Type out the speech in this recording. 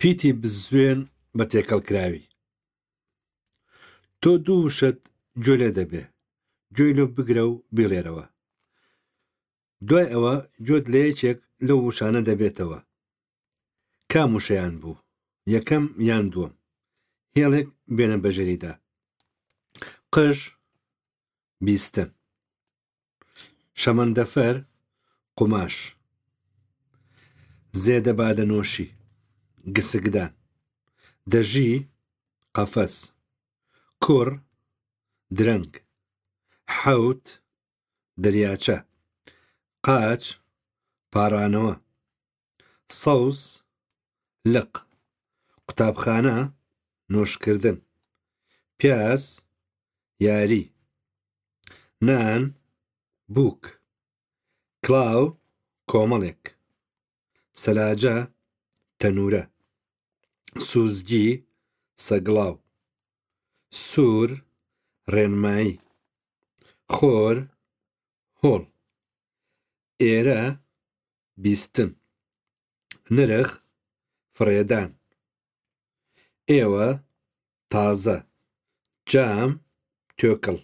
پیتی بزوێن بە تێکەڵکراوی. تۆ دوو وشەت گوێ لێ دەبێ، گوێی لۆ بگرە و بیڵێرەوە. دوای ئەوە گوێت لە یەکێک لەو وشانە دەبێتەوە. کام وشەیان بوو؟ یەکەم یان دووەم؟ هێڵێک بێنە بەژێریدا. قژ، بیستن. شەمەندەفەر، قوماش. زێدە بادەنۆشی، گسکدان. دەژی، قەفەس. کوڕ، درەنگ. حەوت، دەریاچە. قاچ، پاڕانەوە. سەوز، لق. قوتابخانە، نۆشکردن. پیاز، یاری. نان، بووک. کڵاو، کۆمەڵێک. سەلاجە، تەنوورە. سوزگی، سەگڵاو. سوور، ڕێنمایی. خۆر، هۆڵ. ئێرە، بیستن. نرخ، فڕێدان. ئێوە، تازە. جام، توێکڵ.